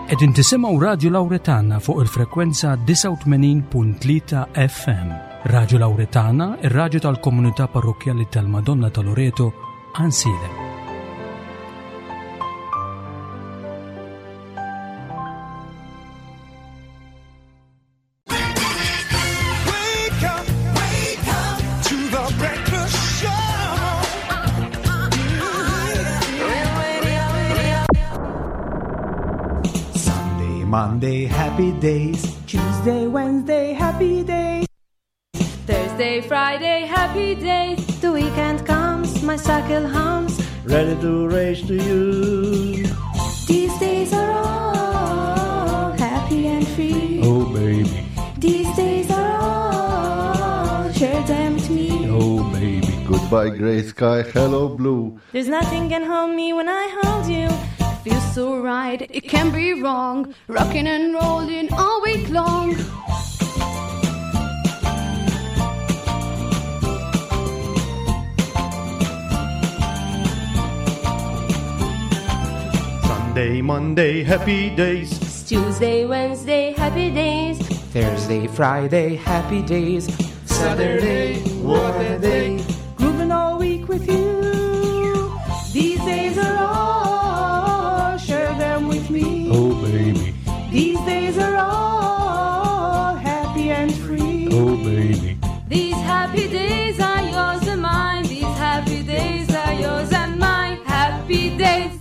Qegħdin tisimgħu Radju Lawretana fuq il-frekwenza 89.3 FM. Radju Lawretana, ir-radju tal-komunità parrokkjali tal-Madonna ta' Loreto, Għansielem. Sunday, Monday, happy days. Tuesday, Wednesday, happy days. Thursday, Friday, happy days. The weekend comes, my cycle hums. Ready to race to you. These days are all happy and free. Oh, baby. These days are all, share them with me. Oh, baby. Goodbye, gray sky. Hello, blue. There's nothing can hold me when I hold you. Feels so right, it can't be wrong. Rocking and rolling all week long. Sunday, Monday, happy days. Tuesday, Wednesday, happy days. Thursday, Friday, happy days. Saturday, what a day. Grooving all week with you. These days are all, share them with me. Oh, baby. These days are all happy and free. Oh, baby. These happy days are yours and mine. These happy days are yours and mine. Happy days.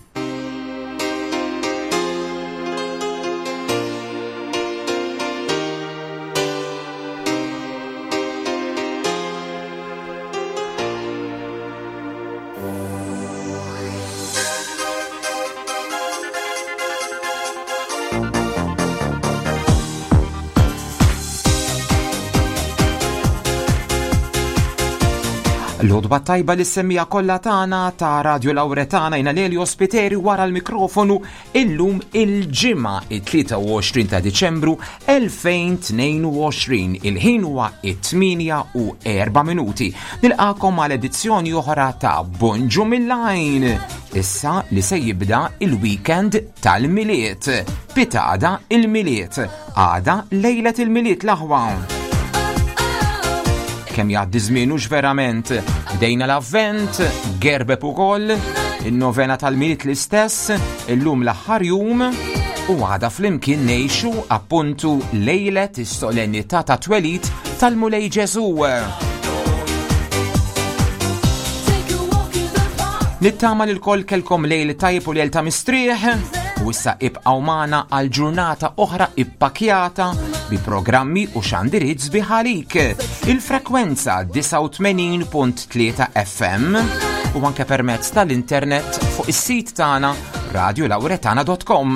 L-odba tajba li semmija kollha tagħna ta' Radio Lauretana jina Leli Ospiteri wara l-mikrofonu illum il-ġimgħa it-23 ta' Diċembru 2022. Il-ħin huwa it-8 u 4 minuti. Nilqakom għal edizzjoni oħra ta' Bonġu mill-Lajn. Issa li se jibda il-weekend tal-Milied. Pitada il-Milied. Għada lejlet il-Milied l-aħwa. Kemm jgħaddi żmien hux verament. Bdejna l-avvent, gerbeb ukoll, in-novena tal-Milied l-istess, illum l-aħħar jum u għada flimkien ngħixu appuntu lejlet is-solennità ta' twelid tal-Mulej Ġesu. Nittama li l-koll kelkom lejl tajb u lejl ta' mistrieħ u issa ibqgħu magħna għal ġurnata oħra ippakjata bi programmi u xandiriet sbieħ għalik. Il-frekwenza 89.3 FM u anke permezz tal-internet fuq is-sit tagħna radiolauretana.com.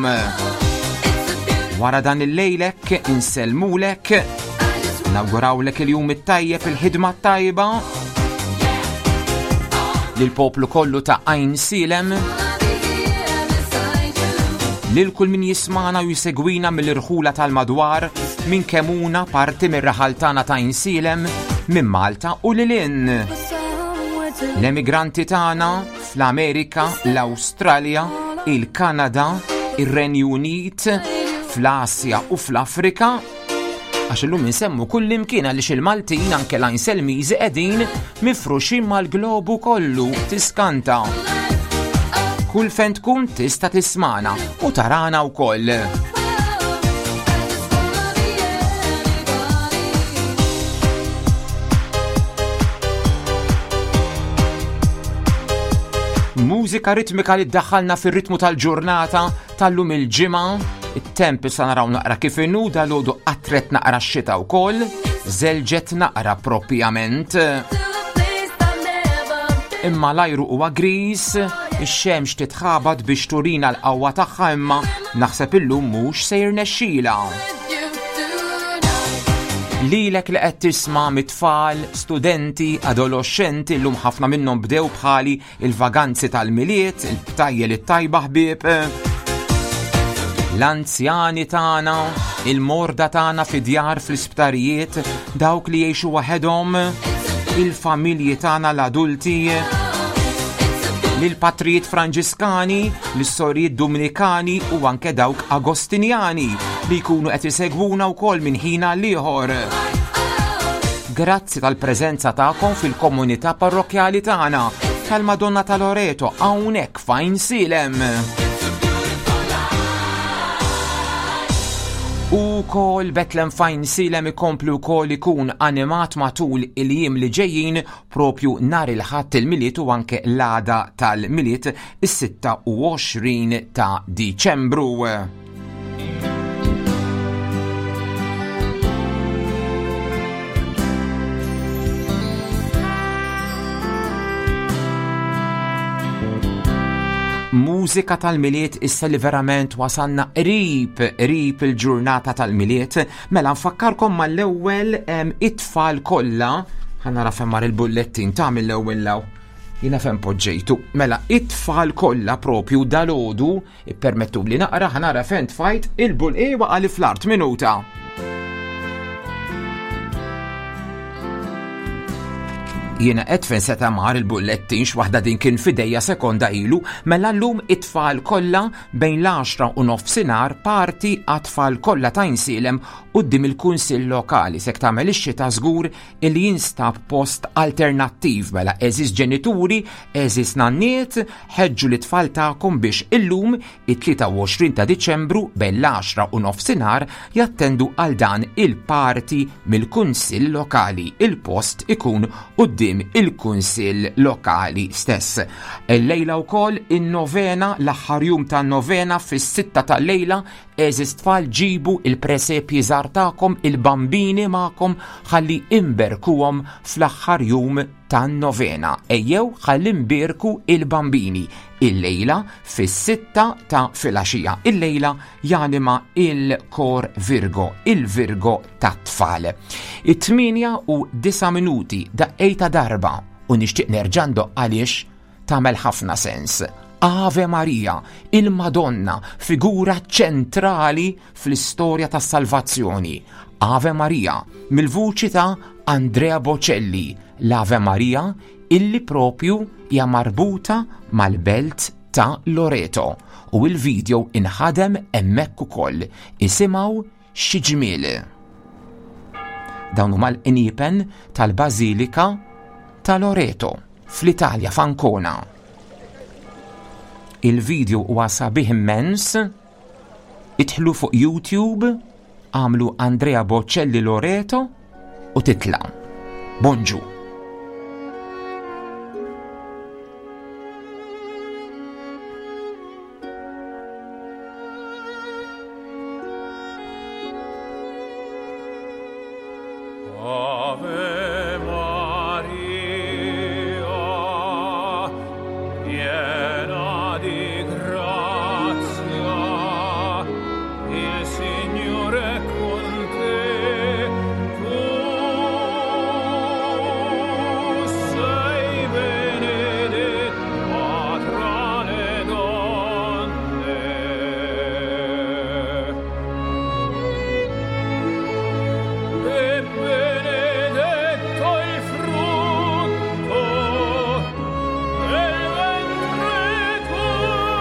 Wara dan il-lejlek insellmulek, nawgurawlek il-jum it-tajjeb il-ħidma t-tajba lill-poplu kollu ta' Għajn Silem, lil kull min jismana u jsegwina mill-irħula tal-madwar, minn Kemuna, parti mir-raħal tagħna ta' Għajn Silem, minn Malta u lil hinn. L-emigranti tagħna fl-Amerika, l-Awstralja, il-Kanada, ir-Renju Unit, fl-Asja u fl-Afrika, għax illum insemmu kull imkien għaliex il-Maltin anke l-Għajnselmiżi qegħdin mifruxin mal-globu kollu tiskanta. Kull fejn tkun tista' tismana u tarana wkoll. Mużika ritmika li ddaħħalna fir-ritmu tal-ġurnata tal-lum il-ġimgħa, it-temp issa naraw naqra kif inhu dalgħodu qatret naqra x-xita wkoll, żelġet naqra propjament. Imma l-ajru huwa griż, ix-xemx titħabat biex turina l-qawwa tagħha imma naħseb illum mhux se jirnexxila. Lilek li qed tisma' mit-tfal, studenti, adoloxxenti llum ħafna minnhom bdew bħali il-vaganzi tal-Milied, il-btajjel it-tajba ħbieb, l-anzjani tagħna, il-morda tagħna fi djar fl-isptarijiet, dawk li jgħixu waħedhom, il-familji tagħna l-adulti, Lil patrijiet Franġiskani, lis-sorijiet Dominikani u anke dawk Agostinjani li jkunu qed isegwuna wkoll minn ħin għal ieħor. Grazzi tal-preżenza tagħkom fil-komunità parrokkjali tagħna tal-Madonna ta' Loreto hawnhekk f'Għajnsielem. U kol Betlem f'Għajnsielem ikompli wkoll ikun animat matul il-jiem li ġejjin propju nhar il-Ħadd il-Milied u anke l-għada tal-Milied is-26 ta' Diċembru. Mużika tal-Milied issa li verament wasalna qrib qrib il-ġurnata tal-Milied, mela nfakkarkom mal-ewwel it-tfal kollha, ħa nara fejn mar il-bullettin ta' mill-ewwel law. Jiena fejn poġġejtu. Mela it-tfal kollha propju dalgħodu Ippermettu li naqra ħanara fejn tfajt il-bull e waqa' li fl-art minuta. Jiena qed fejn seta' mar il-bullettin x'waħda din kien fidejja sekonda ilu, mela llum it-tfal kollha bejn l-10 u nofsinhar parti għat-tfal kollha ta' Insielem quddiem il-Kunsill Lokali sek tagħmel ix-xita żgur illi jinstab post alternattiv mela eżis ġenituri, eżis nanniet, ħeġġu li tfal tagħkom biex illum it-23 ta' Diċembru bejn l-10 u nofsinhar jattendu għal dan il-parti mill-Kunsill Lokali. Il-post ikun quddiem il-Kunsill Lokali stess. Illejla wkoll in-novena, l-aħħar jum tan-novena fis-sitta tal-lejla Għeżież tfal ġibu il-presepji żgħar tagħkom, il-bambini magħkom ħalli imberkuhom fl-aħħar jum tan-novena. Ejjew ħalli nbierku il-bambini illejla fis-sitta ta' filgħaxija. Illejla janima il-Kor Virgo, il-Virgo tat-tfal. It-8 u 9 minuti daqqejta darba u nixtieq nerġa' ndoqq għaliex tagħmel ħafna sens. Ave Maria, il-Madonna, figura ċentrali fl-istorja tas-salvazzjoni. Ave Maria, mill-vuċi ta' Andrea Bocelli, l-Ave Maria illi propju hija marbuta mal-belt ta' Loreto u il-video inħadem hemmhekk ukoll. Isimgħu Xi ġmiel! Dawn huma l-qniepen tal-Bażilika ta' Loreto fl-Italja f'Ancona. Il-video huwa sabiħ immens. Idħlu fuq YouTube, għamlu Andrea Bocelli Loreto u titla'. Bonġu! Ave Maria, piena di grazia, il Signore è con te. Tu sei benedetta tra le donne. E benedetto il frutto del ventre tuo,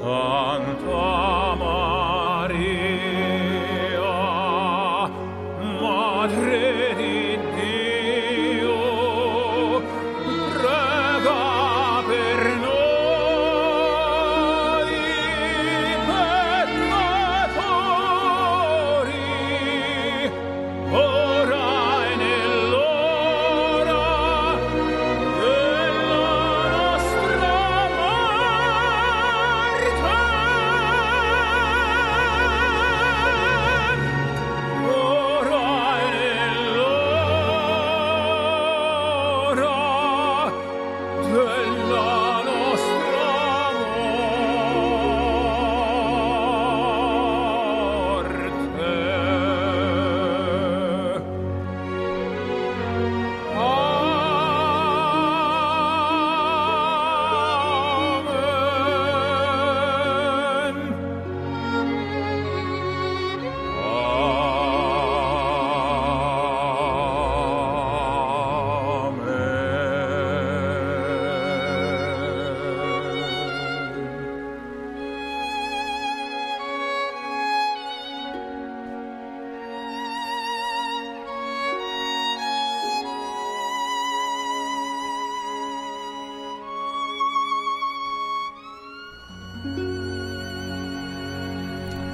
Santa Maria, Madre di Dio, prega per noi peccatori, ora e nell'ora della nostra morte. Ora e nell'ora della nostra morte. Amen. Amen.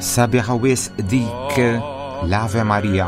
Sabiħa wisq dik l-Ave Maria.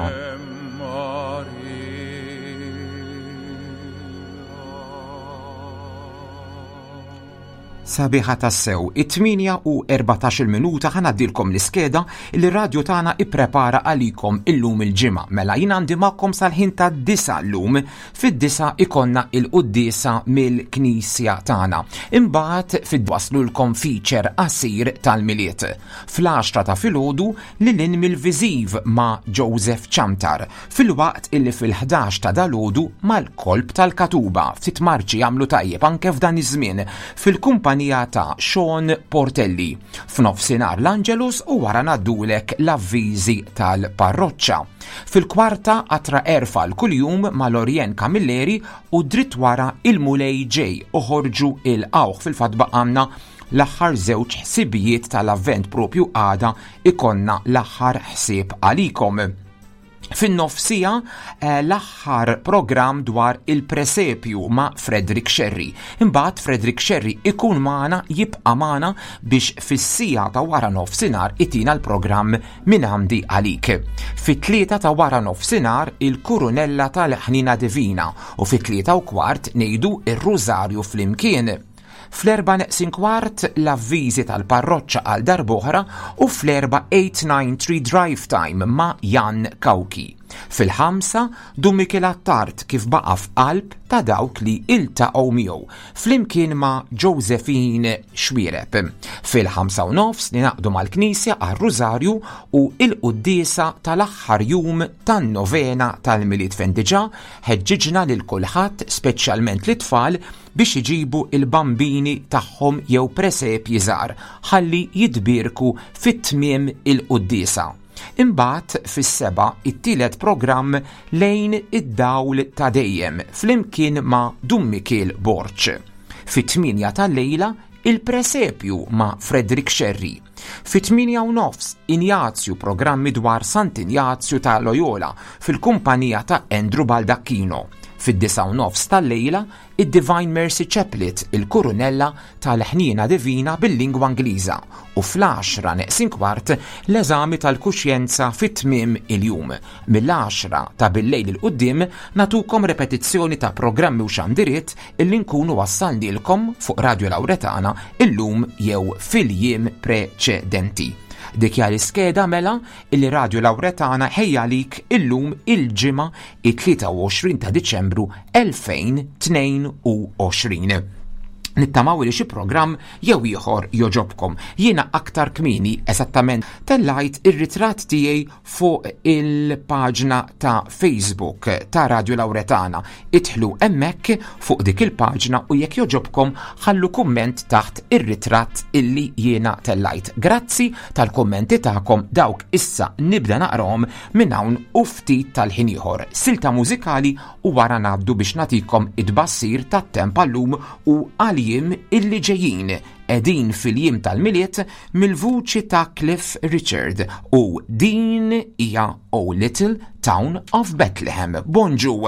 Sabiħa tassew, it-8 u 14 minuta ħanaddilkom l-iskeda li radio tagħna ipprepara għalikom illum il-ġimgħa. Mela jien għandi magħkom sal-ħin ta' disa llum, fid-disa ikonna il-quddiesa mill-knisja tagħna. Imbagħad fid-waslulkom feature qasir tal-Milied. Fl-10 ta' filgħodu lil hinn mill-viżiv ma' Joseph Ciantar, filwaqt illi fil-11 ta' dalgħodu mal-kolb tal-Katuba ftit marċi jagħmlu tajjeb anke f'dan iż-żmien fil-kumpanija ta' Sean Portelli. F'nofsinhar l-Angelus u wara ngħaddulek l-avviżi tal-parroċċa. Fil-kwarta qatra erfa l kuljum ma' Lorien Camilleri u dritt wara il-Mulej ġej oħorġu il-qawħ. Fil-fatt baqgħalna l-aħħar żewġ ħsibijiet tal-Avvent, propju għada ikonna l-aħħar ħsieb għalikom. Fin-nofsija l-aħħar programm dwar il-presepju ma' Frederick Scerri. Imbagħad Frederick Scerri ikun magħna, jibqa' magħna biex fis-sija ta' wara nofsinhar itina l-programm minn għandi għalik. Fit-3 ta' wara nofsinhar il-Kurunella tal-Ħnina Divina u fit-3 u kwart ngħidu ir-Rużarju flimkien. Fl-erba' neqsin kwart l-avviżi tal-parroċċa għal darb'oħra u fl-erba' 893 Drive Time ma' Jan Kawki. Fil-5 Dun Mikiel Attard kif baqa' f'qalb ta' dawk li iltaqgħu miegħu flimkien ma' Josephine Xwireb. Fil-5 u nofs ninaqdu mal-Knisja għar-Rużarju u il-quddiesa tal-aħħar jum tan-novena tal-Milied fejn diġà ħeġġiġna lil kulħadd, speċjalment lit-tfal, biex iġibu il-bambini tagħhom jew presepji żgħar ħalli jitbierku fit-tmiem il-quddiesa. Imbagħad fis-7 it-tielet programm lejn id-dawl ta' dejjem flimkien ma' Dun Mikiel Borg. Fit-8 tal-lejla il-presepju ma' Frederick Scerri. Fit-8 u nofs Injazju, programmi dwar Sant'Injazju ta' Loyola fil-kumpanija ta' Andrew Baldacchino. Fid-9 u nofs tal-lejla id-Divine Mercy Chaplet, il-Kurunella tal-Ħniena Divina bil-lingwa Ingliża, u fl-10 neqsin kwart l-eżami tal-kuxjenza fit-tmiem il-jum. Mill-10 ta' billejl il quddiem natukom repetizzjoni ta' programmi u xandiriet illi nkunu wassalnilkom fuq Radio Lauretana illum jew fil-jiem preċedenti. Dik hija l-iskeda mela illi Radio Lauretana ħejja lik illum il-ġimgħa it-23 ta' Diċembru 2022. Nittamaw li xi programm jew ieħor joġobkom. Jiena aktar kmieni eżattament tellajt ir-ritratt tiegħi fuq il-paġna ta' Facebook ta' Radio Lauretana. Idħlu hemmhekk fuq dik il-paġna u jekk joġobkom ħallu kumment taħt ir-ritratt illi jiena tellajt. Grazzi tal-kummenti tagħkom, dawk issa nibda naqrahom minn hawn u ftit tal-ħin ieħor. Silta mużikali u wara ngħaddu biex nagħtikom id-bassir tat-temp għallum u għal-jiem illi ġejjin. qegħdin fil-jiem tal-Milied mill-vuċi ta' Cliff Richard u din hija O Little Town of Bethlehem. Bonġu!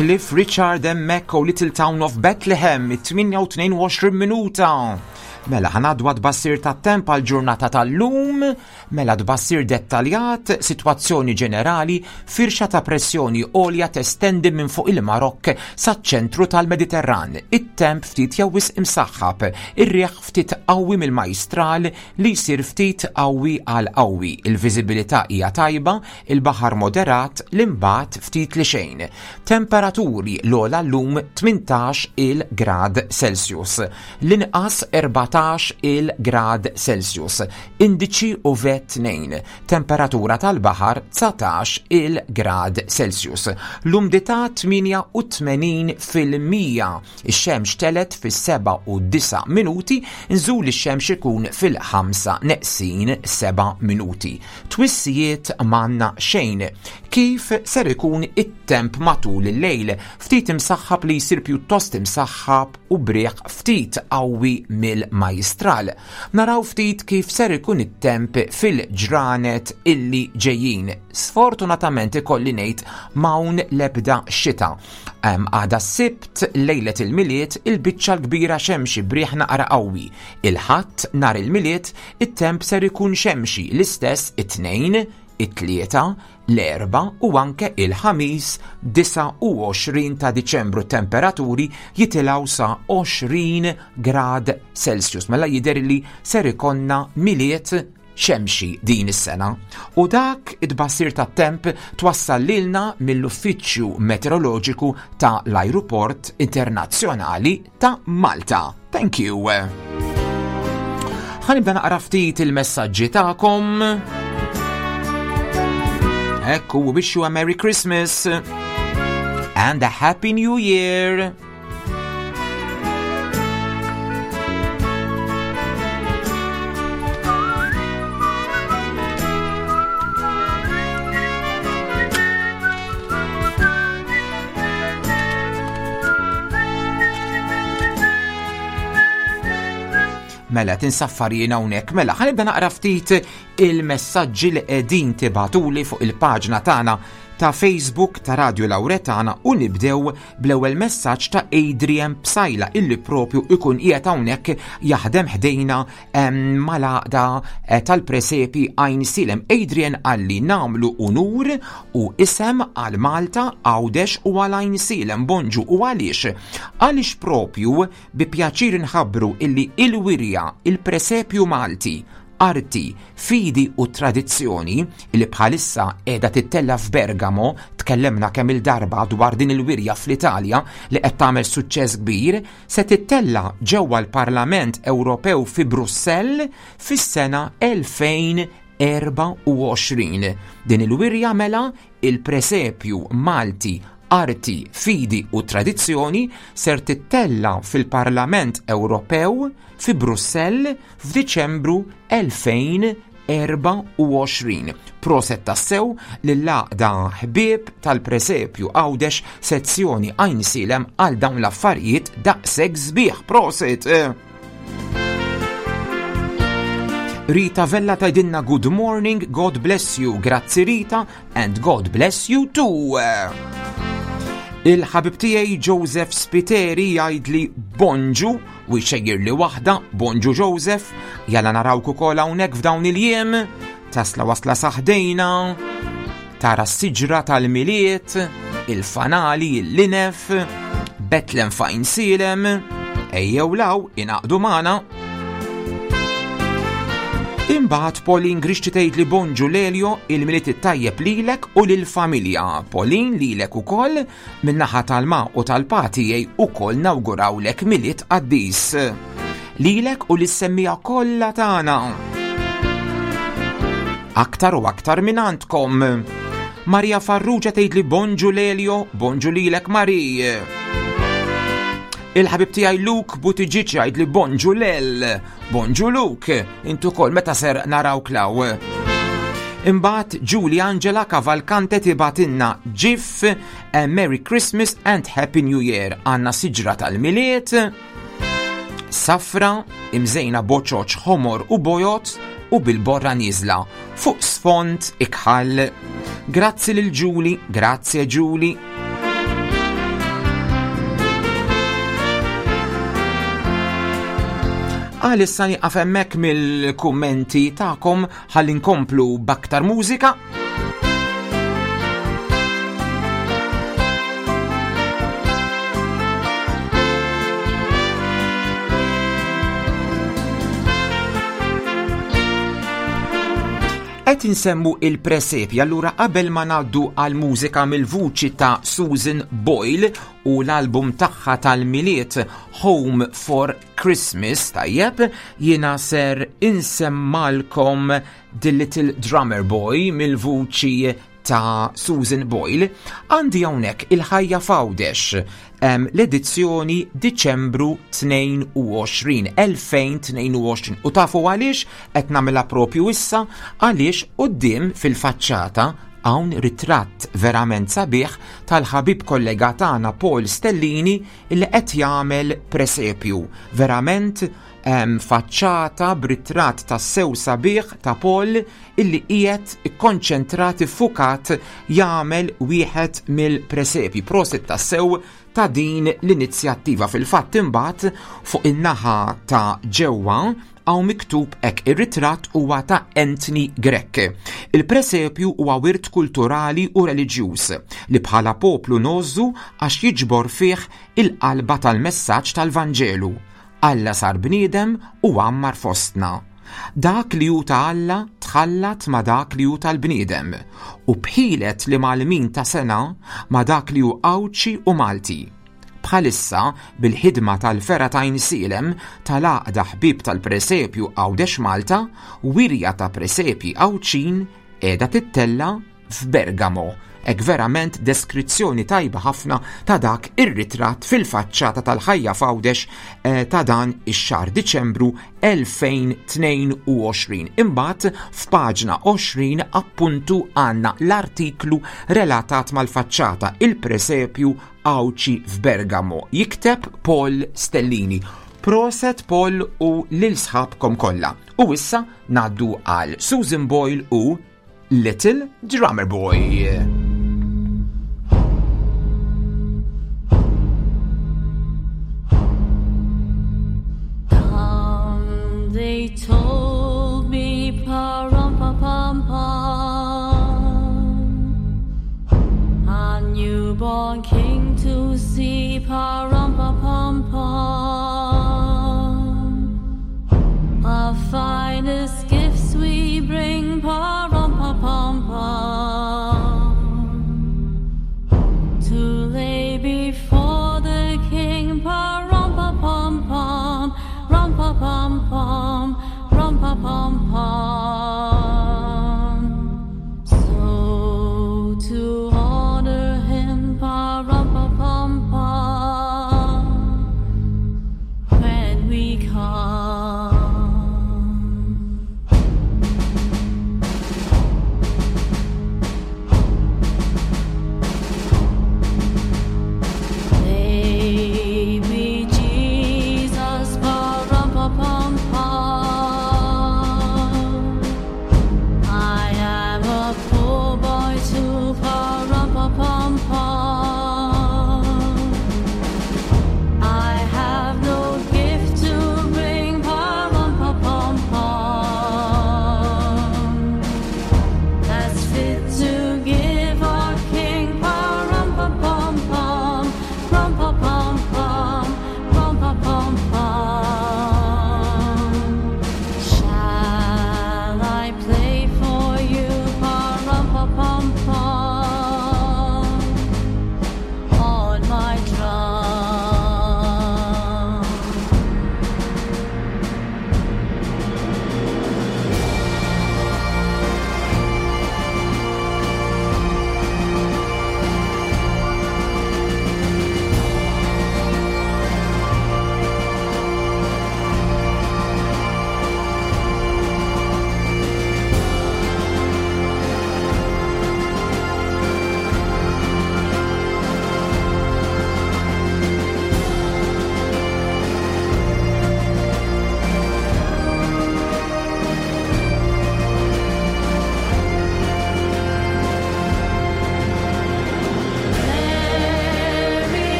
Cliff Richard hemmhekk u Little Town of Bethlehem, 8:22 minuta. Mela ħanadwa tbassir tat-temp għal ġurnata tal-lum, mela tbassir dettaljat, sitwazzjoni ġenerali, firxa ta' pressjoni għolja testendi minn fuq il-Marokk saċ-ċentru tal-Mediterran. It-temp ftit jew wisq imsaħħab, ir-riħ ftit qawwi mill-majstral li jsir ftit qawwi għal qawwi. Il-viżibilità hija tajba, il-baħar moderat, l-imbagħad ftit li xejn. Temperaturi l-ogħla llum 18 il grad Celsius, l-inqas 14 il grad Celsius, indiċi UV 2, temperatura tal-baħar 19 il grad Celsius. L-umdità 88 fil-mija. Ix-xemx telet fis-7 u 9 minuti, nżul ix-xemx ikun fil-5 neqsin 7 minuti. Twissijiet m'għandna xejn. Kif ser ikun it it-temp matul il-lejl, ftit imsaħħab li jsir pjuttost imsaħħab u b'riħ ftit qawwi mill-Majjistral. Naraw ftit kif ser ikun it-temp fil-ġranet illi ġejjin. Sfortunatament ikolli ngħid m'hawn l-ebda xita. Għada s-Sibt, lejlet il-Milied, il-biċċa l-kbira xemxi b'riħ naqra qawwi. Il-Ħadd, nhar il-Milied, it-temp ser ikun xemxi l-istess it-Tnejn, it-Tlieta, l-Erbgħa u anke il-Ħamis 29 ta' Diċembru temperaturi jitilgħu sa 20 grad Celsius. Mela jidher li ser ikollna Milied xemxi din is-sena. U dak it-tbassir tat-temp twassal lilna mill-Uffiċċju Meteoroloġiku ta' l-Ajruport Internazzjonali ta' Malta. Thank you. Ħa nibda naqra ftit il-messaġġi tagħkom. Ekku, wish you a Merry Christmas and a Happy New Year. Mela tinsaffar jien hawnhekk. Mela ħanibda naqra ftit il-messaġġi li qegħdin tibatuli fuq il-paġna tagħna ta' Facebook ta' Radio Lauretana u nibdew bl-ewwel messaġġ ta' Adrian Psaila illi propju ikun qiegħed hawnhekk jaħdem ħdejna mal-għaqda eh, tal-presepi Għajn Silem. Adrian qalli namlu unur u isem għal Malta, Għawdex u għal Għajn Silem bonġu u għaliex? Għaliex propju bi pjaċir nħabbru illi il-wirja il-presepju Malti Arti, fidi u tradizzjoni, li bħalissa qiegħda tittella' f'Bergamo, tkellemna kemm-il darba dwar din il-wirja fl-Italja li qed tagħmel suċċess kbir, se tittella' ġewwa l-Parlament Ewropew fi Brussell fis-sena 2024. Din il-wirja mela Il-presepju Malti Arti, Fidi u Tradizzjoni ser tittella' fil-Parlament Ewropew fi Brussell f'Diċembru 2024. Proset tassew lill-Għaqda Ħbieb tal-Presepju Għawdex Sezzjoni Għajnsielem għal dawn l-affarijiet daqshekk sbieħ. Proset! Rita Vella tajdinna good morning, God bless you. Grazzi Rita and God bless you too. Il-ħabib tiegħi Joseph Spiteri jgħidli bonġu u jxejjir li waħda, bonġu Joseph, jalla narawk ukoll hawnhekk f'dawn il-jiem, tasla wasla saħdejna, tara s-siġra tal-Milied, il-fanali, il-linef, Betlem fajn silem, ejjew law inaqdu magħna. Imbagħad Pauline Grixti tgħid li bonġu Lelio il-Milied it-tajjeb lilek u lill-familja. Pauline lilek ukoll Min-naħa tal-ma u tal-pa tiegħi ukoll nawgurawlek Milied qaddis. Lilek u lis-semmiegħa kollha tagħna. Aktar u aktar minn għandkom. Maria Farrugia tgħidli bonġu Lelio, bonġu lilek Mari. Il-ħabib tiegħi Luke Buttigieg jgħidli bonġu Lel. Bonġu Luke, intu kol meta ser naraw klaw. Imbagħad Julie Angela Cavalcante tibatinna GIF eh, Merry Christmas and Happy New Year. Għanna siġra tal-miliet, safra, imżejna boċoċ ħomor u bojot u bil-borra niżla fuq sfond ikħal. Grazzi lil Julie, grazzi Julie. Għalissa nieqaf hemmhekk mill-kummenti tagħkom ħalli nkomplu b'aktar mużika. Qed insemmu il-presepji allura qabel ma ngħaddu għal mużika mill-vuċi ta' Susan Boyle u l-album tagħha tal-Milied Home for Christmas tajjeb jiena ser insemmalkom The Little Drummer Boy mill-vuċi ta' Susan Boyle, għandi hawnhekk il-ħajja f'Għawdex l-edizzjoni Diċembru 22, 2022. U tafu għaliex qed nagħmilha propju issa għaliex quddiem fil-faċċata Hawn ritratt verament sabiħ tal-ħabib kollega tagħna Paul Stellini li qed jagħmel presepju. Verament faċċata b'ritratt tassew sabiħ ta' Paul illi qiegħed ikkonċentrat iffukat jagħmel wieħed mill-presepji. Prosit tassew ta' din l-inizjattiva. Fil-fatt imbagħad fuq in-naħa ta' ġewwa hawn miktub hekk ir-ritratt huwa ta' Anthony Grech. Il-presepju huwa wirt kulturali u reliġjuż li bħala poplu ngħożżu għax jiġbor fih il-qalba tal-messaġġ tal-Vanġelu. Alla sar bniedem u għammar fostna. Dak li hu ta' Alla tħallat ma' dak li hu tal-bniedem u b'ħilet l-imgħallmin ta' sengħa ma' dak li hu Għawdxi u Malti. Bħalissa, bil-ħidma tal-Fergħa t'Għajnsielem tal-Għaqda Ħbieb tal-Presepju Għawdex Malta, wirja ta' presepji Għawdxin qiegħda tittella' f'Bergamo. Hekk verament deskrizzjoni tajba ħafna ta' dak ir-ritratt fil-faċċata tal-ħajja f'Għawdex eh, ta' dan ix-xahar Diċembru 2022. Imbagħad f'paġna 20 appuntu għandna l-artiklu relatat mal-faċċata il-presepju Għawdxi f'Bergamo. Jikteb Paul Stellini. Proset Paul u lil sħabkom kollha. U issa ngħaddu għal Susan Boyle u Little Drummer Boy. Come, they told me, pa-rum-pa-pam-pam. A newborn king to see, pa-rum-pa-pam-pam. Our finest gifts we bring, pa-rum-pa-pam-pam. To lay before the king, pa-rum-pa-pam-pam, rum-pa-pam-pam, rum-pa-pam-pam. So to honor him, pa-rum-pa-pam-pam, when we come.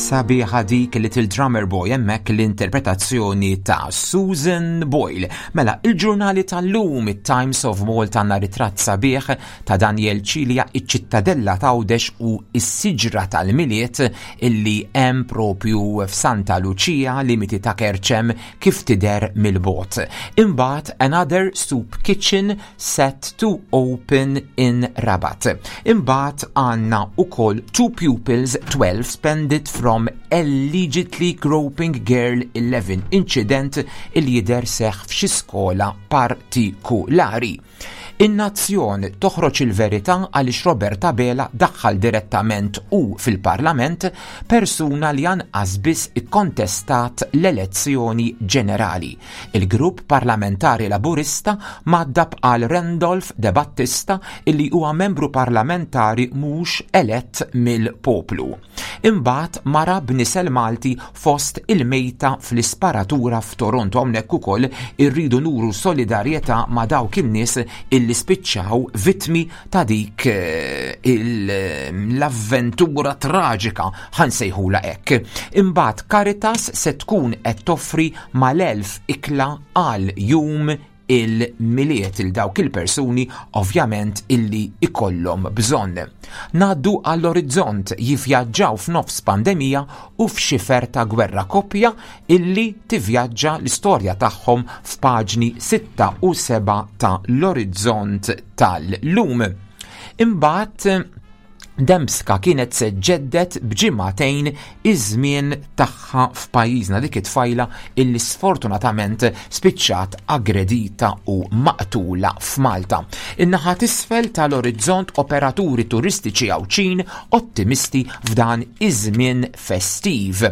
Sabiħa dik Little Drummer Boy hemmhekk l-interpretazzjoni ta' Susan Boyle. Mela, il-ġurnali tal-lum, it-Times of Malta għandna ritratt sabiħ ta' Daniel Cilia, iċ-ċittadella ta' Għawdex u s-siġra tal-Milied illi hemm propju f'Santa Luċija, limiti ta' Kerċem kif tidher mill-bogħod. Imbagħad Another Soup Kitchen set to open in Rabat. Imbagħad għandna ukoll two pupils 12 spended from allegedly groping girl 11 incident il jidher seħħ f'xi skola partikulari. In-Nazzjon toħroġ il-verità għaliex Robert Abela daħħal direttament u fil-Parlament persuna li anqas biss ikkontestat l-elezzjoni ġenerali. Il-Grupp Parlamentari Laburista mgħaddab għal Randolph De Battista illi huwa membru parlamentari mhux elett mill-poplu. Imbagħad mara b'nisel Malti fost il-mejta fl-isparatura f'Toronto. Hawnhekk ukoll irridu nuru solidarjetà ma' dawk in-nies illi spiċċaw vittmi ta' dik eh, l-avventura traġika ħansejħula hekk. Imbagħad Caritas se tkun qed toffri mal-1000 ikla għal jum il-Milied il dawk il-persuni ovvjament illi ikollhom bżonn. Ngħaddu għall-orizzont jivvjaġġaw f'nofs pandemija u f'xifer ta' gwerra koppja illi tivvjaġġa l-istorja tagħhom f'paġni 6 u 7 ta' l-orizzont tal-lum. Imbagħad Dembska kienet se ġġedded b'ġimagħtejn iż-żmien tagħha f'pajjiżna dik it-tfajla illi sfortunatament spiċċat aggredita u maqtula f'Malta. In-naħa t'isfel tal-orizzont operaturi turistiċi Għawdxin ottimisti f'dan iż-żmien festiv.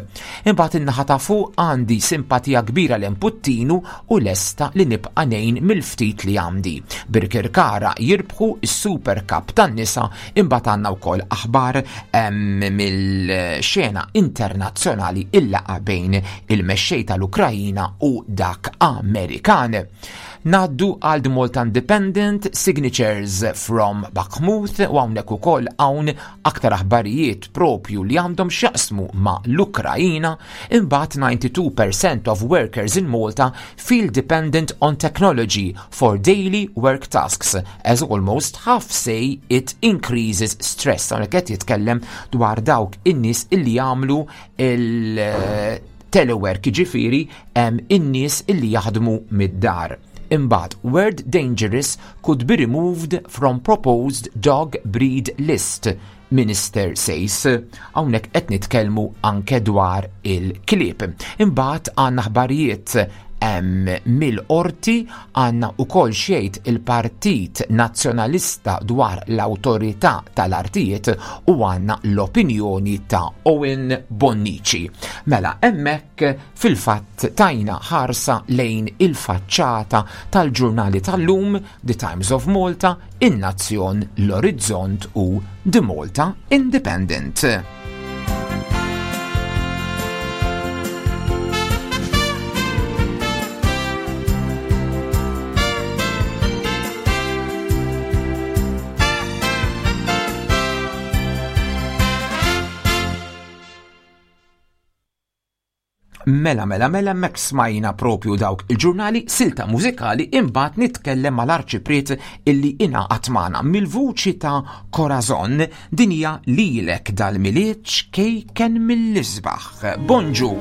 Imbagħad in-naħa ta' fuq għandi simpatija kbira lejn Puttinu u lesta li nibqa' ngħin mill-ftit li għandi. Birkirkara jirbħu s-Super Cup tan-nisa imbagħad għandna wkoll aħbar mill-xena internazzjonali il-laqgħa bejn il-mexxej tal-Ukrajina u dak Amerikan. Ngħaddu għal The Malta Independent, Signatures from Bakhmut u hawnhekk ukoll hawn aktar aħbarijiet propju li għandhom x'jaqsmu ma' l-Ukrajina, imbagħad 92% of workers in Malta feel dependent on technology for daily work tasks, as almost half say it increases stress. Hawnhekk qed jitkellem dwar dawk in-nies illi jagħmlu il telework, jiġifieri in-nies illi jaħdmu mid-dar. Imbagħad, word dangerous could be removed from proposed dog breed list, Minister says. Hawnhekk qed nitkellmu anke dwar il-klieb. Imbagħad għandna aħbarijiet mill-qorti għandna wkoll xejt il-Partit Nazzjonalista dwar l-Awtorità tal-Artijiet u għandna l-opinjoni ta' Owen Bonnici. Mela hemmhekk fil-fatt tajna ħarsa lejn il-faċċata tal-ġurnali tal-lum, The Times of Malta, In-Nazzjon, L-Orizzont u The Malta Independent. Mela, mela, mela, mek smajna propju dawk il-ġurnali silta mużikali imbagħad nitkellem mal-arċipriet illi ingħaqad magħna mill-vuċi ta' Corazon din hija lilek dal-Milied ċkejken mill-isbaħ. Bonġu!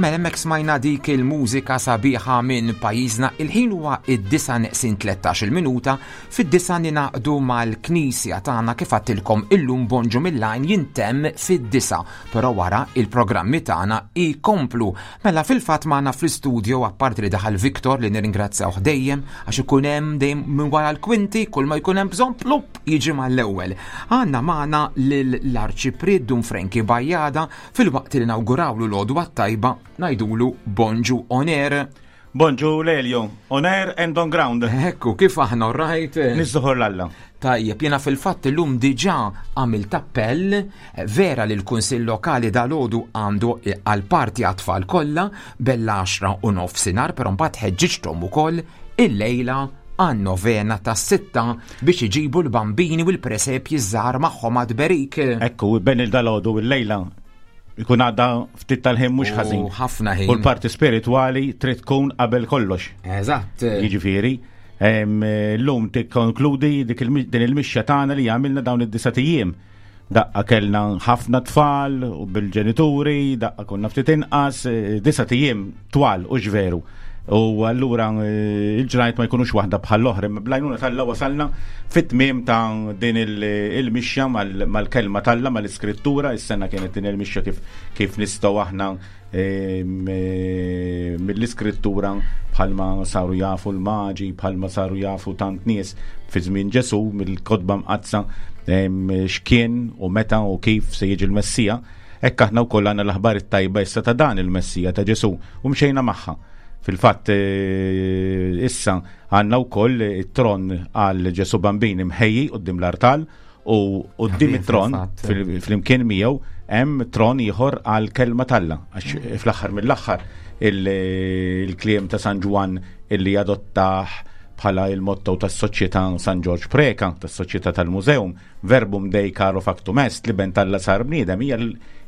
Mela hemmhekk smajna dik il-mużika sabiħa minn pajjiżna. Il-ħin huwa id-disa neqsin 13 minuta, fid-disa ninaqdu mal-knisja tagħna kif għattilkom illum bonġu mill-għajn jintemm fid-disa, però wara il-programmi tagħna jkomplu. Mela fil-fatt magħna fl-istudio apparti li daħal Viktor li nirringrazzjawh dejjem għax ikun hemm dejjem minn wara l-kwinti kull ma jkun hemm bżonn plupp jiġi mal-ewwel. Għandna magħna lill-Arċipriet Dun Frankie Bajada Filwaqt li nawgurawlu l-għodwa t-tajba, ngħidulu bonġu on air. Bonġu Lelio, on air and on ground. Ekku, kif aħna rajt? Nizzuħor l-alla. Tajjeb, jena fil-fatt illum diġà għamilt appell vera li l-Kunsill Lokali dal-għodu għandu għal-parti għat-tfal kollha bella 10 u nofsinhar, però mbagħad ħeġġiġthom ukoll illejla għan-novena tas-sitta biex iġibu l-bambini u l-presepji żgħar magħhom għad-berik. Ekku, ben il-dalodu il-lejla ikun għadda ftit tal-ħin mhux ħażin. Ħafna ħin. U l-parti spiritwali trid tkun qabel kollox. Eżatt. Jiġifieri, llum tikkonkludi din il-mixja tagħna li għamilna dawn id-disa' ijiem. Daqqa kellna ħafna tfal u bil-ġenituri, daqqa konna ftit inqas, eh, disa tijiem twal u ġveru. U allura eh, il-ġrajt ma jkunux waħda bħal l-oħra, imma blajnuna tal-la wasalna fit-tmiem ta' din il-mixja mal-kelma tal-la, mal-iskrittura, is-sena kienet din il-mixja kif, kif nistgħu aħna Eh, mill-iskrittura bħalma saru jafu l-maġi, bħalma saru jafu tant nies fi żmien Ġesu mill-kotba mqaddsa x'kien u meta u kif se jiġi l-Messija, hekk aħna wkoll għandna l-aħbar it-tajba issa ta' dan il-Messija ta' Ġesu u mxejna magħha. Fil-fatt eh, issa għandna wkoll it-tron għal Ġesu Bambin imħejji quddiem l-artal U quddiem it-tron, flimkien miegħu, hemm tron ieħor għal kelma t'Alla. Għax mm. fl-aħħar mill-aħħar il-kliem ta' San Ġwann illi adottah bħala il-motto tas-Soċjetà San Ġorġ Preka, tas-Soċjetà tal-Museum, verbum dei caro factum est, li ben talla sar bniedem, hija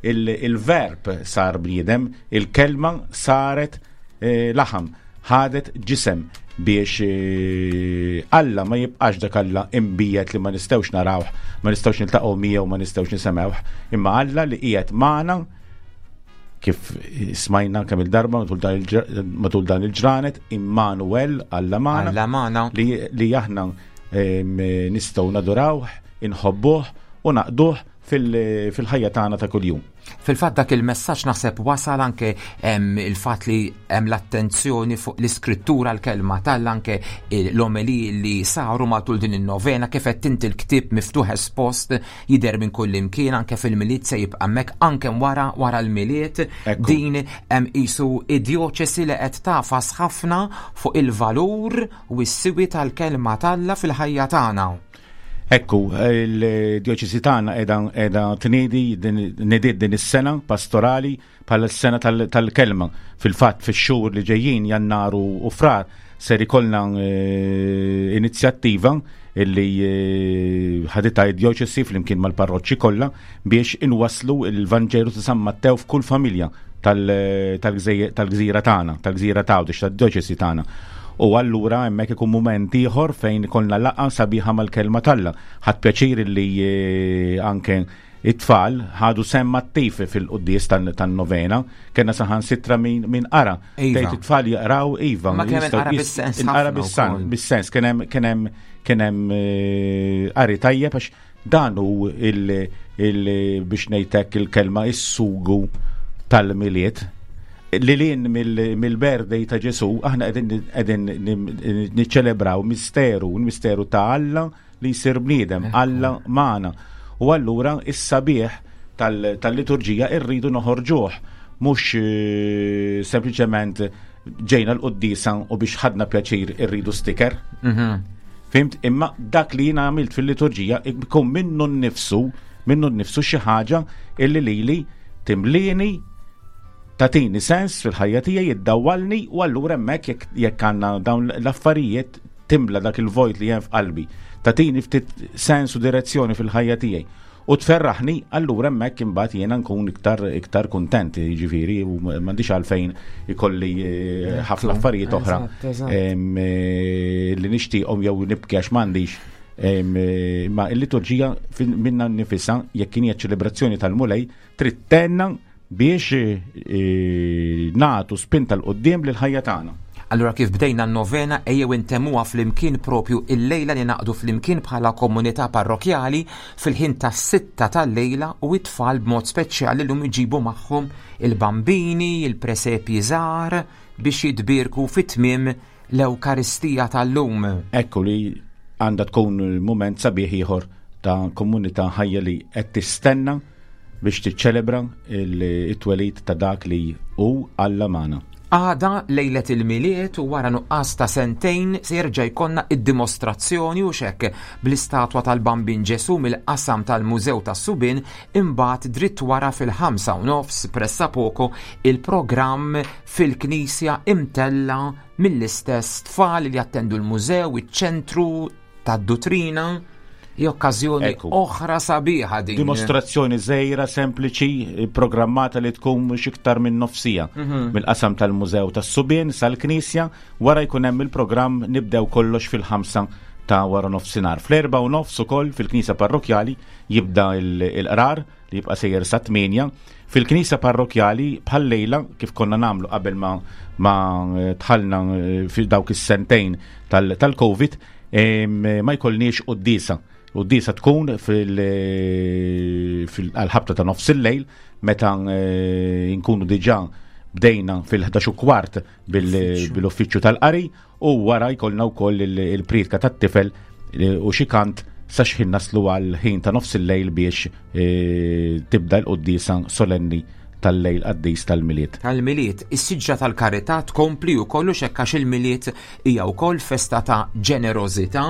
il-verb sar bniedem, il-kelma saret eh, laħam. ħadet ġisem biex eh, Alla ma jibqax dak Alla imbijet li ma nistgħux narawh, ma nistgħux niltaqgħu miegħu, ma nistgħux nisemgħuh, imma Alla li qiegħed magħna kif smajna kemm il-darba matul dan il-ġranet, Immanuel Alla magħna. Alla magħna. Li, li aħna nistgħu nadurawh, inħobbuh u naqduh fil-ħajja tagħna ta' kuljum. Fil-fatt dak il-messaġġ naħseb wasal anke il-fatt li hemm l-attenzjoni fuq l-iskrittura l-kelma tal anke l-omeli li saru matul din in-novena kif qed inti l-ktieb miftuħ espost jidher minn kull imkien anke fil-Milied se jibqa' hemmhekk anke wara wara l-Milied din hemm qisu id-djoċesi li qed tafas ħafna fuq il-valur u s-siwi tal-kelma t'Alla fil-ħajja tagħna. Ekku, il-djoċesi tagħna qiegħda tniedi nediet din is-sena pastorali bħala s-sena tal-kelma. Fil-fatt fix-xhur li ġejjin Jannar u Frar ser ikollna eh, inizjattiva illi eh, ħaditha id-djoċesi flimkien mal-parroċċi kollha biex inwasslu il-Vanġelu ta' San Mattew f'kull familja tal-gżira tagħna, tal-gżira ta' Għawdex, tad-djoċesi tagħna. U allura hemmhekk ikun mument ieħor fejn ikollna laqgħa sabiħa mal-kelma t'Alla. Ħadd pjaċir li eh, anke it-tfal ħadu semm attiv fil-quddies tan-novena, kena saħan sitra min qara. Iva. Tgħid it-tfal jaqraw iva. Ma kemm inqara bis-sens. Inqara bis-sens, kien hemm kien hemm kien hemm eh, qari tajjeb għax Dan hu il, il biex ngħidlek il-kelma is-sugu tal-Milied. Lilin mill-birthday ta' Ġesu, aħna qegħdin niċċelebraw misteru, misteru ta' Alla li jsir bniedem, Alla magħna. U allura is-sabiħ tal-liturġija irridu noħorġuh, mhux eh, sempliċement ġejna l-quddiesa u biex ħadna pjaċir irridu sticker. Mhm. Fimt? Imma dak li jiena għamilt fil-liturġija ikun minnu nnifsu, minnu nnifsu xi ħaġa illi lili timlini tatini sens fil-ħajja tiegħi jiddawwalni u allura hemmhekk jekk għandna dawn l-affarijiet timla dak il-vojt li hemm f'qalbi. Tatini ftit sens u direzzjoni fil-ħajja tiegħi. U tferraħni, allura hemmhekk imbagħad jiena nkun iktar iktar kuntent, jiġifieri u m'għandix għalfejn ikolli eh, ħafna affarijiet oħra eh, li nixtieqhom jew nibki għax m'għandix. Eh, ma il-liturġija minna nifisha jekk kien hija ċelebrazzjoni tal-Mulej trid tenna biex eh, nagħtu spinta 'l quddiem lill-ħajja tagħna. Allura kif bdejna n-novena ejjew intemmuha flimkien propju illejla li naqdu flimkien bħala komunità parrokjali fil-ħin tas-sitta tal-lejla u it-tfal b'mod speċjali llum iġibu magħhom il-bambini, il-presepji żgħar biex jitbierku fi tmiem l-Ewkaristija tal-lum. Ekku li għandha tkun mument sabiħ ieħor ta' komunità ħajja li qed tistenna biex tiċċelebra it-twelid ta' dak li hu Alla magħna. Għada lejlet il-Milied u wara nuqqas ta' sentejn se jerġa' jkollna id-dimostrazzjoni u xekk bl-istatwa tal-Bambin Ġesu mill-qasam tal-Mużew tas-Subien imbagħad dritt wara fil-5:30 pressapoko il-programm fil-Knisja imtella' mill-istess tfal li jattendu l-mużew, iċ-ċentru tad-duttrina. Hi okkażjoni oħra sabiħa din. Dimostrazzjoni żgħira, sempliċi, programmata li tkun mhux iktar minn nofsija. Mill-qasam tal-Mużew tas-Subien sal-Knisja, wara jkun hemm il-programm nibdew kollox fil-5 ta' wara nofsinhar. Fl-4:30 ukoll fil-Knisja Parrokjali jibda il-qrar li jibqa' sejjer sa 8. Fil-Knisja Parrokjali bħal lejla kif konna nagħmlu qabel ma dħalna fi dawk is-sentejn tal-Covid, ma jkollniex quddiesa. Quddiesa tkun fil-ħabta ta' nofs il-lejl meta nkunu diġà bdejna fil-ħdax u kwart bil-uffiċċju tal-qari u wara jkollna wkoll il-priedka tat-tifel u xi kant sa xħin naslu għal ħin ta' nofs il-lejl biex tibda l-quddiesa solenni tal-lejl qaddis tal-Milied. Tal-Milied, is-siġra tal-karità tkompli wkoll u xekk għax il-Milied hija wkoll festa ta' ġenerożità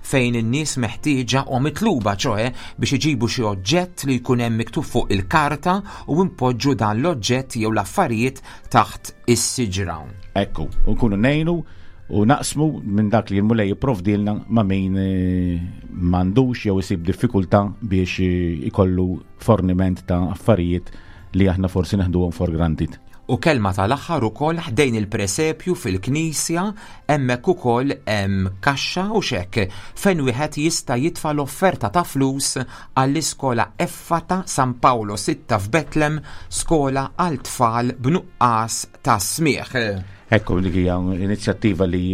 fejn in-nies meħtieġa u mitluba ċoe biex iġibu xi oġġett li jkun hemm miktub fuq il-karta u npoġġu dan l-oġġett jew l-affarijiet taħt is-siġra. Ekku, u nkunu ngħinu u naqsmu minn dak li l-Mulej jipprovdilna ma' min m'għandux jew isib diffikultà biex ikollu forniment ta' affarijiet li aħna forsi neħduhom for granted. U kelma tal-aħħar ukoll ħdejn il-presepju fil-knisja hemmhekk ukoll hemm kaxxa u xekk fejn wieħed jista' jitfa' l-offerta ta' flus għall-iskola Effata San Paolo 6 f'Betlem, skola għal tfal b'nuqqas ta' smigħ. Ekku, dik hija inizjattiva li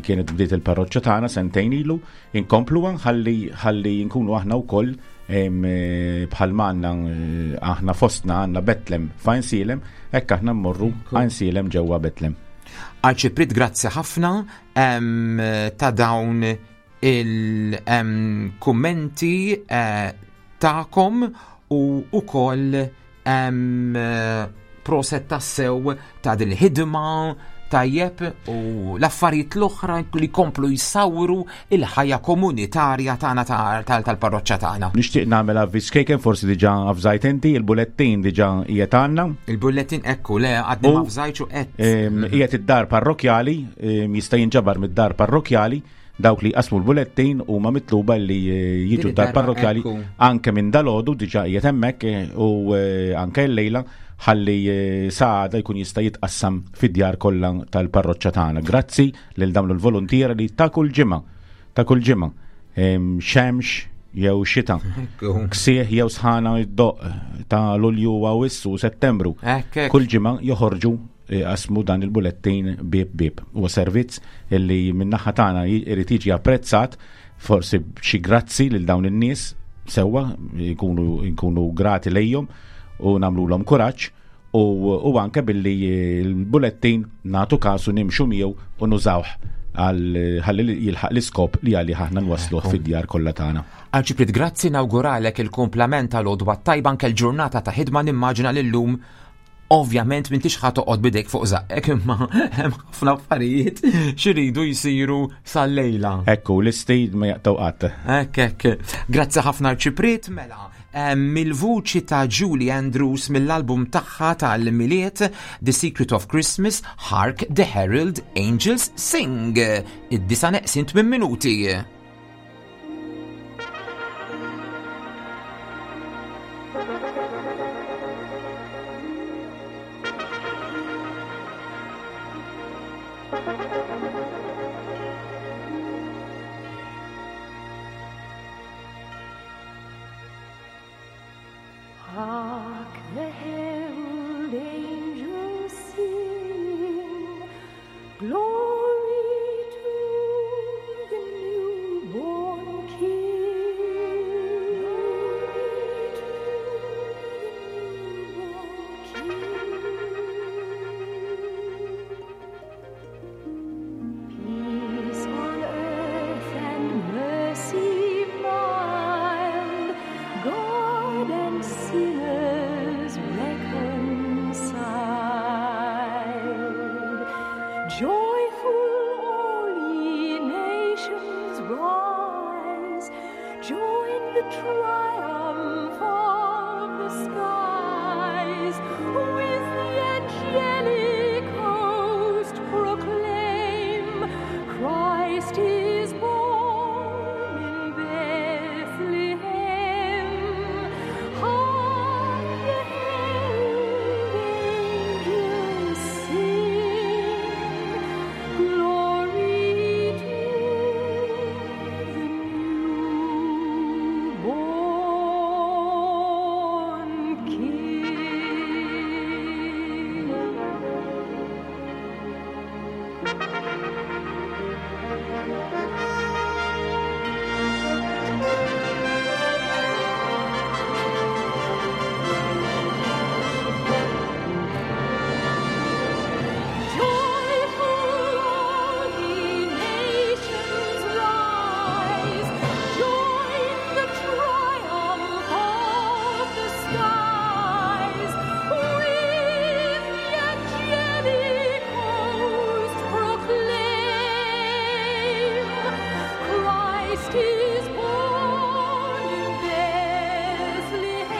kienet bdiet il-parroċċa tagħna sentejn ilu, inkompluha ħalli nkunu aħna wkoll bħal għandna aħna fostna għandna Betlem f'Għajnsielem, hekk aħna mmorru Għajnsielem ġewwa Betlem. Arċipriet, grazzi ħafna ta' dawn il-kummenti tagħkom u wkoll proset tassew ta' din il-ħidma tajjeb u l-affarijiet l-oħra li komplu jsawru il-ħajja komunitarja tagħna tal-parroċċa tagħna. Nixtieq nagħmel avviż kejken, forsi diġà avżajt inti, il-bulettin diġà qiegħed għandna. Il-bullettin ekku le għadni ma avżajtx u qed. Qiegħed id-dar parrokjali, jista' jinġabar mid-dar parrokjali. Dawk li jqasmu l-bulettin huma mitluba li jiġu Din dar id-darba parrokjali ekku. anke minn dalodu diġà qiegħed hemmhekk u anke llejla ħalli saħda jkun jista' jitqassam fid-djar kollha tal-parroċċa tagħna. Grazzi lil dawn il-voluntiera li ta' kull ġimgħa, ta' kull ġimgħa, xemx jew xita, ksieħ jew sħana id-doq ta' Lulju u Awwissu u Settembru. Hekk, hekk. Kull ġimgħa joħorġu qasmu dan il-bulettin bib bib. Huwa servizz li min-naħa tagħna irid jiġi apprezzat, forsi xi grazzi lil dawn in-nies sewwa nkunu grati lejhom u nagħmluhom kuraġġ u anke billi l-bulettin nagħtu kasu nimxu miegħu u nużawh ħalli jilħaq l-iskop li għalih aħna nwassluh fid-djar kollha tagħna. Arċipriet, grazzi, nawguralek il-kumplament tal-għodwa tajba anke l-ġurnata ta' ħidma. Nimmaġina lillum ovvjament m'intix ħa toqgħod bidejk fuq żaqqek, imma hemm ħafna affarijiet xiridu jsiru sal-lejla. Ekku, l-isti ma jaqtaw qatt. Hekk, hekk. Grazzi ħafna Arċipriet, mela. Mill-vuċi ta' Julie Andrews mill-album tagħha tal-Milied The Secret of Christmas, Hark the Herald Angels Sing. Id-disa neqsin 8 minuti. Hark the herald Join the triumph of the skies with the angelic host proclaim Christ is born in Bethlehem. Hark the herald angels sing, glory to the newborn King. Joyful all ye nations rise, join the triumph of the skies. With the angelic host proclaim, Christ is born in Bethlehem.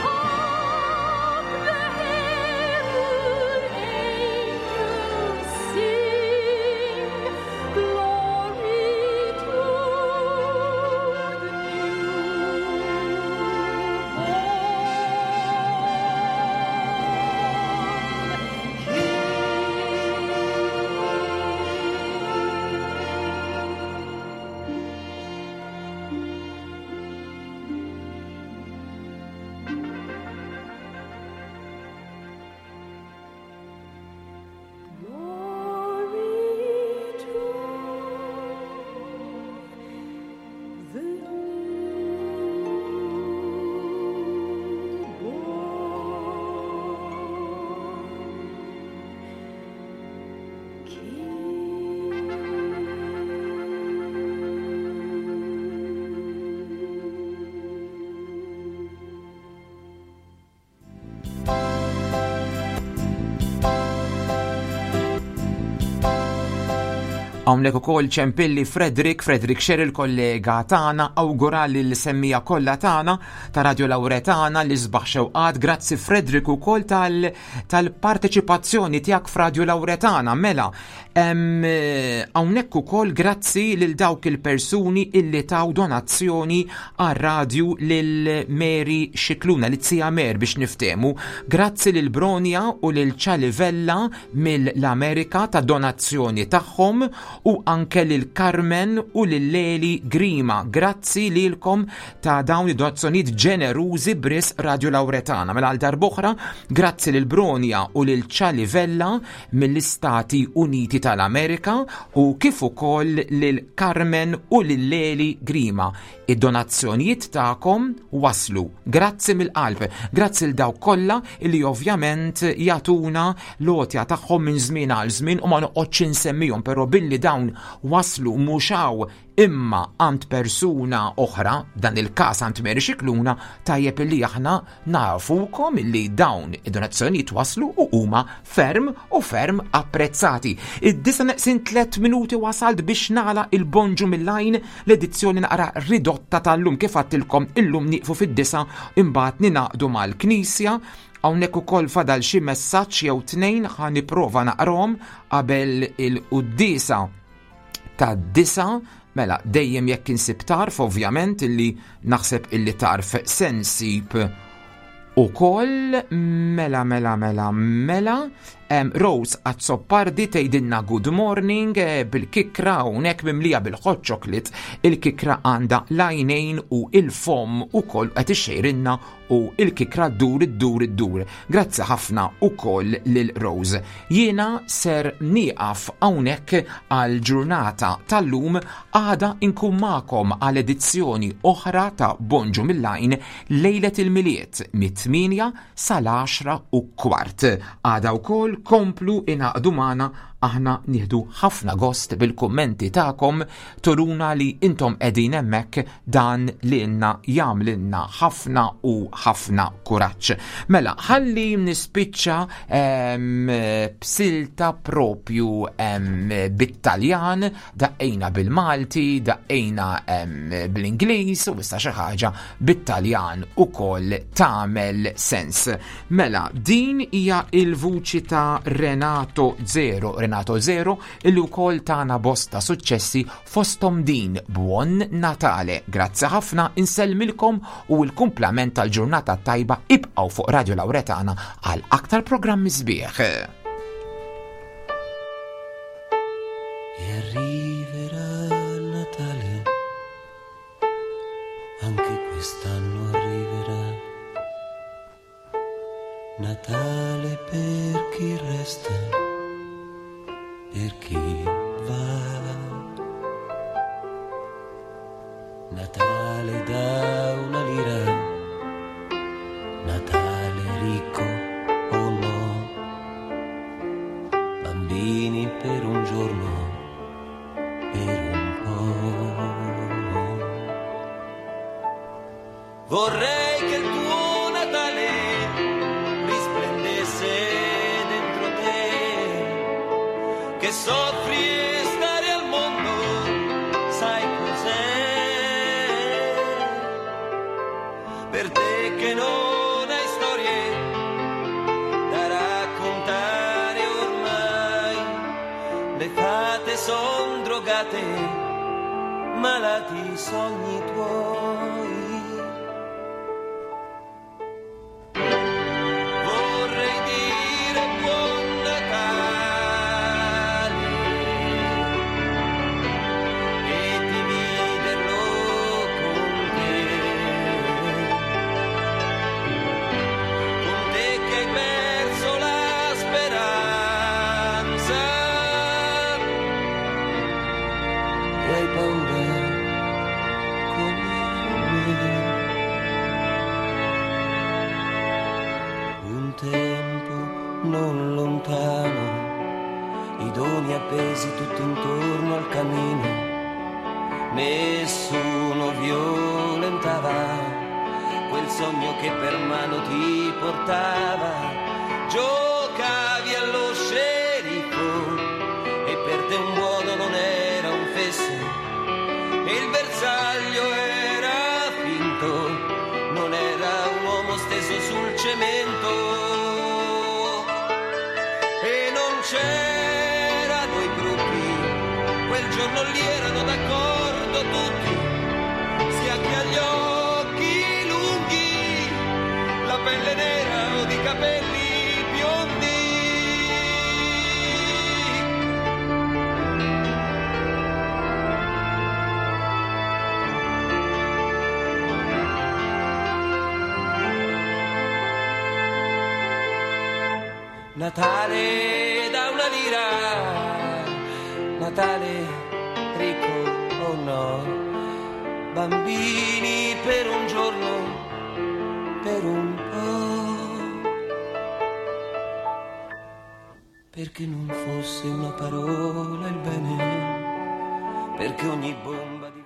Hark the herald angels sing, glory to the newborn King. Glory to the newborn King. Hawnhekk ukoll ċempilli Frederick, Frederick Xer il-kollega tagħna, awgura lil semmija kollha tagħna ta' Radio Lauretana li sbaħ xewqat. Grazzi Frederick ukoll tal-parteċipazzjoni tiegħek f'Radio Lauretana. Mela, hawnhekk ukoll grazzi lil dawk il-persuni illi taw donazzjoni għar-radju lil Mary Scicluna, li tsia Mer biex niftehmu. Grazzi lil Bronia u lil Ċalivella mill-Amerika ta' donazzjoni tagħhom u anke lil Carmen u lil Leli Grima. Grazzi lilkom ta' dawn id-donazzjonijiet ġenerużi bris Radio Lauretana. Mela għal darb'oħra, grazzi lil Bronia u lil Ċalivella mill-Istati Uniti tal-Amerika u kif ukoll lil Carmen u lil Leli Grima. Id-donazzjonijiet tagħkom waslu. Grazzi mill-qalb. Grazzi l dawk kollha li ovvjament jagħtuna l-għotja tagħhom minn żmien għal żmien u ma noqgħodx insemmihom, però billi dawn waslu mhux hawn imma għand persuna oħra, dan il-każ għand Mary Scicluna, tajjeb illi aħna nafukom illi dawn id-donazzjonijiet waslu u huma ferm u ferm apprezzati. Id-disa neqsin 3 minuti wasalt biex nagħlaq il-Bonġu mill-Għajn, l-edizzjoni naqra ridotta tal-lum. Kif għattilkom illum nieqfu fid-disa imbagħad ninaqdu mal-Knisja. Hawnhekk ukoll fadal xi messaġġ jew tnejn ħa nipprova naqrahom qabel il-quddiesa tad-disa. Mela, dejjem jekk insib tarf, ovvjament, illi naħseb illi tarf se nsib ukoll. Mela, mela, mela, mela. Rose Azzopardi tgħidilna good morning bil-kikra hawnhekk mimlija bil-hot chocolate. Il-kikra għandha l-għajnejn u il-fom ukoll qed ixxejrinna u il-kikra ddur iddur iddur. Grazzi ħafna ukoll lil Rose. Jiena ser nieqaf hawnhekk għal ġurnata tal-lum, għada inkun magħkom għal edizzjoni oħra ta' Bonġu mill-Għajn lejlet il-Milied mit-8 sal-10 u kwart. Għada wkoll komplu ingħaqdu magħna Aħna nieħdu ħafna gost bil-kummenti tagħkom turuna li intom qegħdin hemmhekk dan lilna jagħmlilna ħafna u ħafna kuraġġ. Mela, ħalli nispiċċa b'silta propju bit-Taljan, daqqejna bil-Malti, daqqejna bl-Ingliż u issa xi ħaġa bit-Taljan ukoll tagħmel sens. Mela, din hija il-vuċi ta' Renato Zero, Renato Zero illi wkoll tana bosta suċċessi fosthom din Buon Natale. Grazzi ħafna, insellmilkom u l-kumplament tal-ġurnata tajba ibqgħu fuq Radio Lauretana għal aktar programmi sbieħ. E arriverà Natale, anche quest'anno arriverà. Natale per chi resta, per chi va. Natale da una lira, Natale ricco o no, bambini per un giorno, per un po'. Vorrei che il tuo Natale risplendesse dentro te, che soffri e stare al mondo, sai cos'è? Per te che non hai storie da raccontare ormai, le fate son drogate, malati i sogni tuoi. Vorrei dire buon Natale e dividerlo con te, con te che hai perso la speranza e hai paura come me. Un tempo non lontano, i doni appesi tutto intorno al camino, nessuno violentava quel sogno che per mano ti portava. Giocavi allo sceriffo e per te un buono non era un fesso, e il bersaglio era finto, non era un uomo steso sul cemento. E non c'erano i gruppi, quel giorno lì erano d'accordo tutti, sia chi ha gli occhi lunghi, la pelle nera o di capelli biondi. Natale da una lira, Natale ricco o no, bambini per un giorno, per un po', perché non fosse una parola il bene, perché ogni bomba di